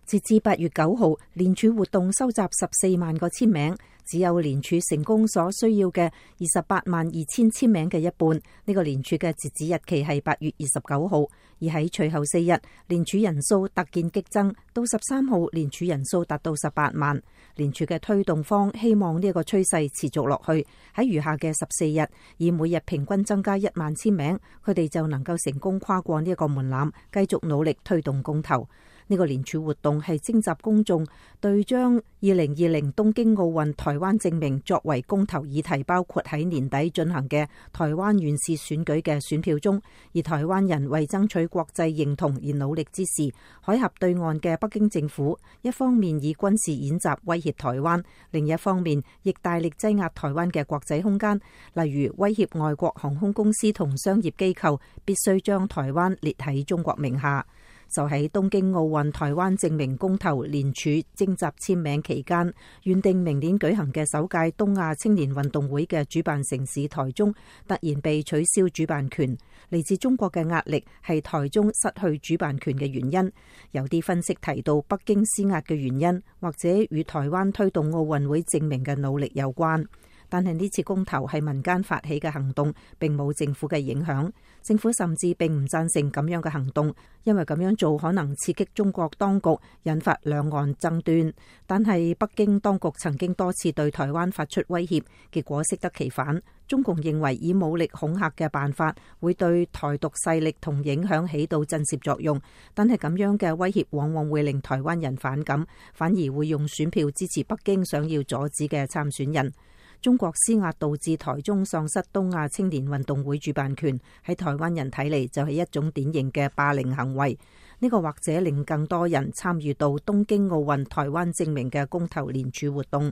截至8月9號，聯署活動收集14萬個簽名，只有聯署成功所需要嘅28萬2000簽名嘅一半。呢個聯署嘅截止日期係8月29號，而喺隨後4日，聯署人數突見激增，到13號聯署人數達到18萬。聯署嘅推動方希望呢個趨勢持續落去，喺餘下嘅14日，以每日平均增加1萬簽名，佢哋就能夠成功跨過呢一個門檻，繼續努力推動公投。呢個聯署活動係徵集公眾對將2020東京奧運台灣正名作為公投議題，包括喺年底進行嘅台灣縣市選舉嘅選票中。而台灣人為爭取國際認同而努力之時，海峽對岸嘅北京政府一方面以軍事演習威脅台灣，另一方面亦大力擠壓台灣嘅國際空間，例如威脅外國航空公司同商業機構必須將台灣列喺中國名下。就喺東京奧運台灣正名公投聯署徵集簽名期間，原定明年舉行嘅首屆東亞青年運動會嘅主辦城市台中突然被取消主辦權。嚟自中國嘅壓力係台中失去主辦權嘅原因。有啲分析提到北京施壓嘅原因，或者與台灣推動奧運會正名嘅努力有關。但係呢次公投係民間發起嘅行動，並冇政府嘅影響。政府甚至並唔贊成咁樣嘅行動，因為咁樣做可能刺激中國當局，引發兩岸爭端。但係北京當局曾經多次對台灣發出威脅，結果適得其反。中共認為以武力恐嚇嘅辦法會對台獨勢力同影響起到震懾作用，但係咁樣嘅威脅往往會令台灣人反感，反而會用選票支持北京想要阻止嘅參選人。中國施壓導致台中喪失東亞青年運動會主辦權，喺台灣人睇嚟就係一種典型嘅霸凌行為。呢個或者令更多人參與到東京奧運台灣正名嘅公投聯署活動。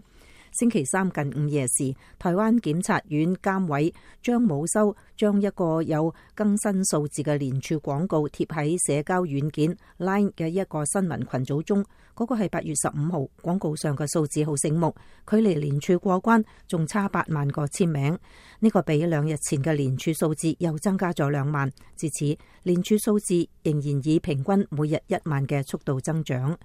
星期三近午夜時，台灣檢察院監委張武修將一個有更新數字嘅聯署廣告貼喺社交軟件 Line 嘅一個新聞群組中。嗰個係8月15號，廣告上嘅數字好醒目，距離聯署過關仲差8萬個簽名。呢個比2日前嘅聯署數字又增加咗2萬，至此聯署數字仍然以平均每日1萬嘅速度增長。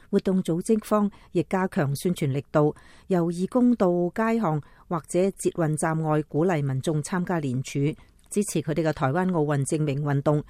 活動組織方亦加強宣傳力度，由義工到街巷或者捷運站外鼓勵民眾參加聯署，支持佢哋嘅台灣奧運正名運動。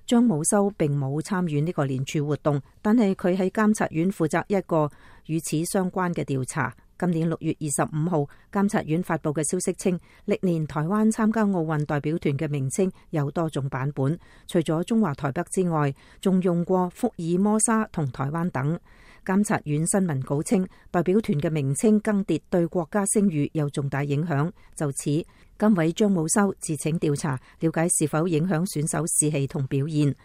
張武修並冇參與呢個聯署活動，但係佢喺監察院負責一個與此相關嘅調查。今年6月25號，監察院發布嘅消息稱，歷年台灣參加奧運代表團嘅名稱有多種版本，除咗中華台北之外，仲用過福爾摩沙同台灣等。監察院新聞稿稱，代表團嘅名稱更迭對國家聲譽有重大影響。就此，監委張武修自請調查，了解是否影響選手士氣同表現。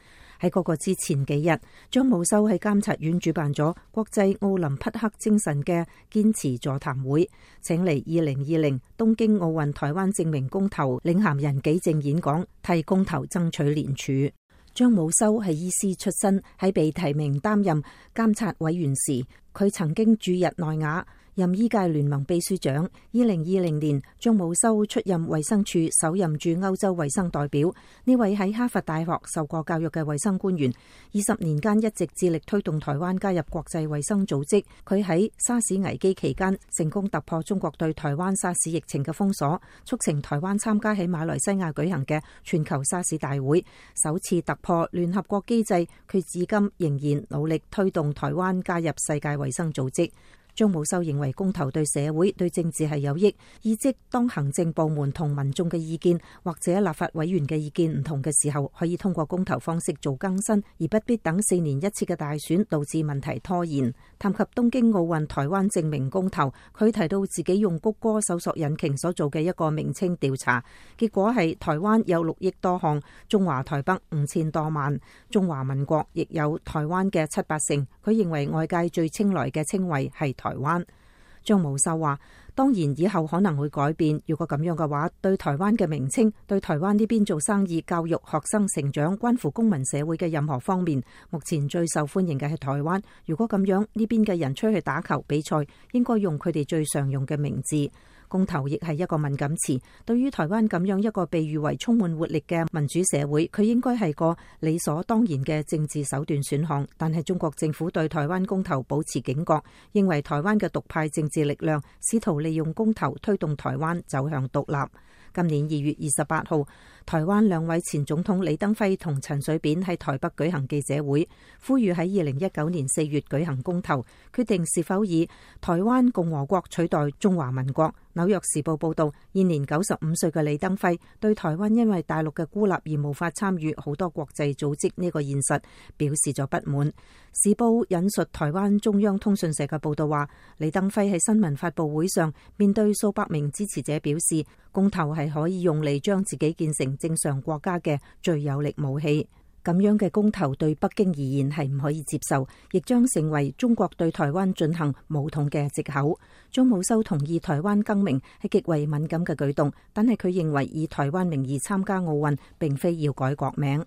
喺嗰個之前幾日，張武修喺監察院主辦咗國際奧林匹克精神嘅堅持座談會，請嚟2020東京奧運台灣正名公投領銜人紀正演講，替公投爭取聯署。張武修係醫師出身，喺被提名擔任監察委員時，佢曾經駐日內瓦，任醫界聯盟秘書長。2020年，張武修出任衛生署首任駐歐洲衛生代表。呢位喺哈佛大學受過教育嘅衛生官員，20年間一直致力推動台灣加入國際衛生組織。佢喺沙士危機期間成功突破中國對台灣沙士疫情嘅封鎖，促成台灣參加喺馬來西亞舉行嘅全球沙士大會，首次突破聯合國機制。佢至今仍然努力推動台灣加入世界衛生組織。張武修認為公投對社會對政治係有益，意即當行政部門同民眾嘅意見或者立法委員嘅意見唔同嘅時候，可以通過公投方式做更新，而不必等4年一次嘅大選，導致問題拖延。談及東京奧運台灣正名公投，佢提到自己用谷歌搜索引擎所做嘅一個名稱調查，結果係台灣有6億多項，中華台北5000多萬，中華民國亦有台灣嘅7-8成。佢認為外界最青睞嘅稱謂係台灣。張武修話，當然以後可能會改變，如果咁樣嘅話，對台灣嘅名稱，對台灣呢邊做生意、教育、學生成長，關乎公民社會嘅任何方面，目前最受歡迎嘅係台灣。如果咁樣，呢邊嘅人出去打球比賽，應該用佢哋最常用嘅名字。公投亦係一個敏感詞，對於台灣咁樣一個被譽為充滿活力嘅民主社會，佢應該係個理所當然嘅政治手段選項。但係中國政府對台灣公投保持警覺，認為台灣嘅獨派政治力量試圖利用公投推動台灣走向獨立。今年2月28號，台灣兩位前總統李登輝同陳水扁喺台北舉行記者會，呼籲喺2019年4月舉行公投，決定是否以台灣共和國取代中華民國。紐約時報報道，現年95歲嘅李登輝對台灣因為大陸嘅孤立而無法參與好多國際組織呢個現實表示咗不滿。時報引述台灣中央通訊社嘅報道話，李登輝喺新聞發佈會上面對數百名支持者表示，公投係可以用嚟將自己建成正常國家嘅最有力武器。咁樣嘅公投對北京而言係唔可以接受，亦將成為中國對台灣進行武統嘅藉口。張武修同意台灣更名係極為敏感嘅舉動，但係佢認為以台灣名義參加奧運並非要改國名。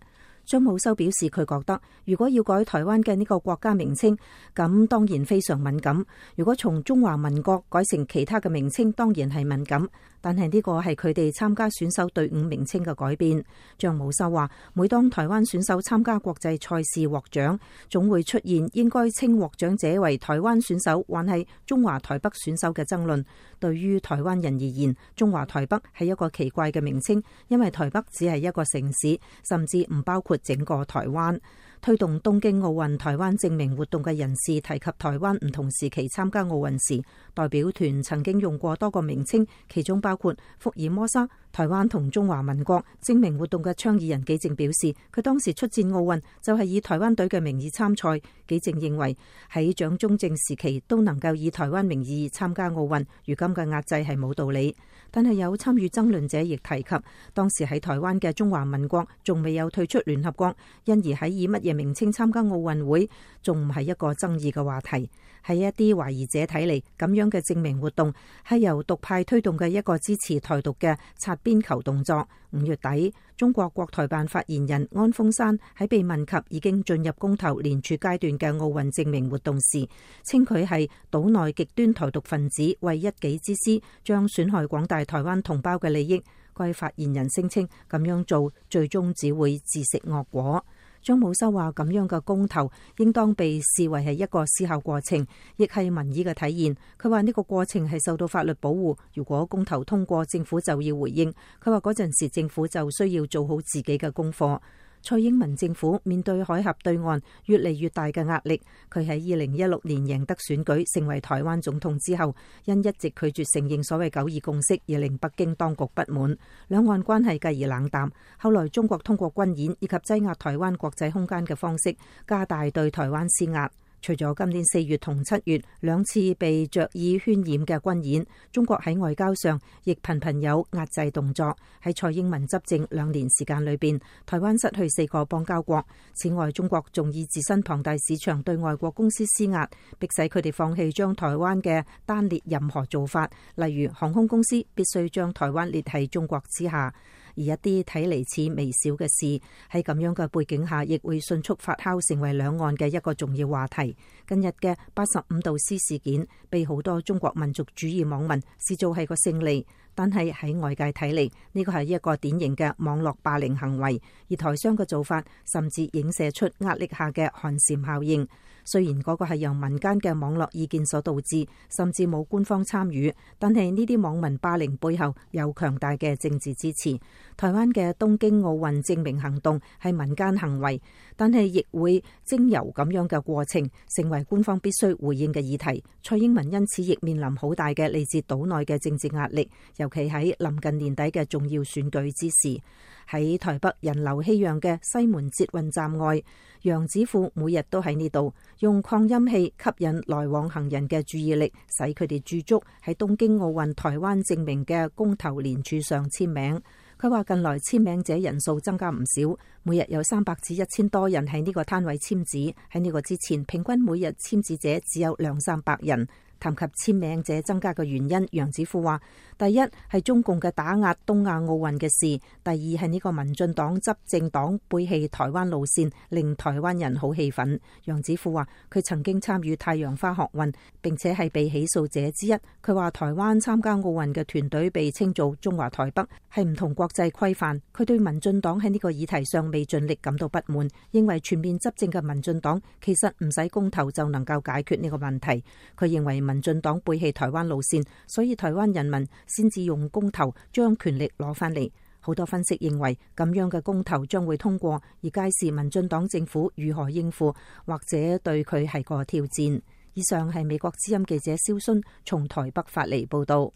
張武修表示，佢覺得如果要改台灣嘅呢個國家名稱，咁當然非常敏感。如果從中華民國改成其他嘅名稱，當然係敏感。但係呢個係佢哋參加選手隊伍名稱嘅改變。張武修話，每當台灣選手參加國際賽事獲獎，總會出現應該稱獲獎者為台灣選手還係中華台北選手嘅爭論。對於台灣人而言，中華台北係一個奇怪嘅名稱，因為台北只係一個城市，甚至唔包括整個台灣。推動東京奧運台灣證明活動嘅人士提及台灣唔同時期參加奧運時，代表團曾經用過多個名稱，其中包括福爾摩沙。台灣同中華民國證明活動嘅倡議人紀政表示，佢當時出戰奧運就係以台灣隊嘅名義參賽。紀政認為喺蔣中正時期都能夠以台灣名義參加奧運，如今嘅壓制係冇道理。但係有參與爭論者亦提及，當時喺台灣嘅中華民國仲未有退出聯合國，因而喺以乜嘢名稱參加奧運會仲唔係一個爭議嘅話題。喺一啲懷疑者睇嚟，咁樣嘅證明活動係由獨派推動嘅一個支持台獨嘅擦邊球動作。5月底，中國國台辦發言人安峰山喺被問及已經進入公投連署階段嘅奧運證明活動時，稱佢係島內極端台獨分子為一己之私，將損害廣大台灣同胞嘅利益。該發言人聲稱咁樣做最終只會自食惡果。張武修話，咁樣嘅公投應當被視為係一個思考過程，亦係民意嘅體現。佢話呢個過程係受到法律保護，如果公投通過，政府就要回應。佢話嗰陣時政府就需要做好自己嘅功課。蔡英文政府面對海峽對岸越嚟越大嘅壓力，佢喺2016年贏得選舉成為台灣總統之後，因一直拒絕承認所謂九二共識而令北京當局不滿，兩岸關係繼而冷淡。後來中國通過軍演以及擠壓台灣國際空間嘅方式，加大對台灣施壓。除咗今年4月同7月兩次被著意渲染嘅軍演，中國喺外交上亦頻頻有壓制動作。喺蔡英文執政2年時間裏邊，台灣失去4個邦交國。此外，中國仲以自身龐大市場對外國公司施壓，迫使佢哋放棄將台灣嘅單列任何做法，例如航空公司必須將台灣列喺中國之下。而一啲睇嚟似微小嘅事，喺咁樣嘅背景下，亦會迅速發酵成為兩岸嘅一個重要話題。近日嘅85度 C 事件，被好多中國民族主義網民視做係個勝利，但係喺外界睇嚟，呢個係一個典型嘅網絡霸凌行為。而台商嘅做法，甚至影射出壓力下嘅寒蟬效應。雖然嗰個係由民間嘅網絡意見所導致，甚至冇官方參與，但係呢啲網民霸凌背後有強大嘅政治支持。台灣嘅東京奧運證明行動係民間行為，但係亦會經由咁樣嘅過程，成為官方必須回應嘅議題。蔡英文因此亦面臨好大嘅嚟自島內嘅政治壓力，尤其喺臨近年底嘅重要選舉之時。喺台北人流熙攘嘅西門捷運站外，楊子富每日都喺呢度用擴音器吸引來往行人嘅注意力，使佢哋駐足喺東京奧運台灣證明嘅公投連署上簽名。佢話近來簽名者人數增加唔少，每日有300至1000多人喺呢個攤位簽字。喺呢個之前，平均每日簽字者只有200-300人。談及簽名者增加嘅原因，楊子富話：第一係中共嘅打壓東亞奧運嘅事，第二係呢個民進黨執政黨背棄台灣路線，令台灣人好氣憤。楊子富話：佢曾經參與太陽花學運，並且係被起訴者之一。佢話台灣參加奧運嘅團隊被稱做中華台北，係唔同國際規範。佢對民進黨喺呢個議題上未盡力感到不滿，認為全面執政嘅民進黨其實唔使公投就能夠解決呢個問題。佢認為民進黨背棄台灣路線，所以台灣人民先至用公投將權力攞返嚟。好多分析認為咁樣嘅公投將會通過，而屆時民進黨政府如何應付，或者對佢係個挑戰。以上係美國之音記者蕭순從台北發嚟報道。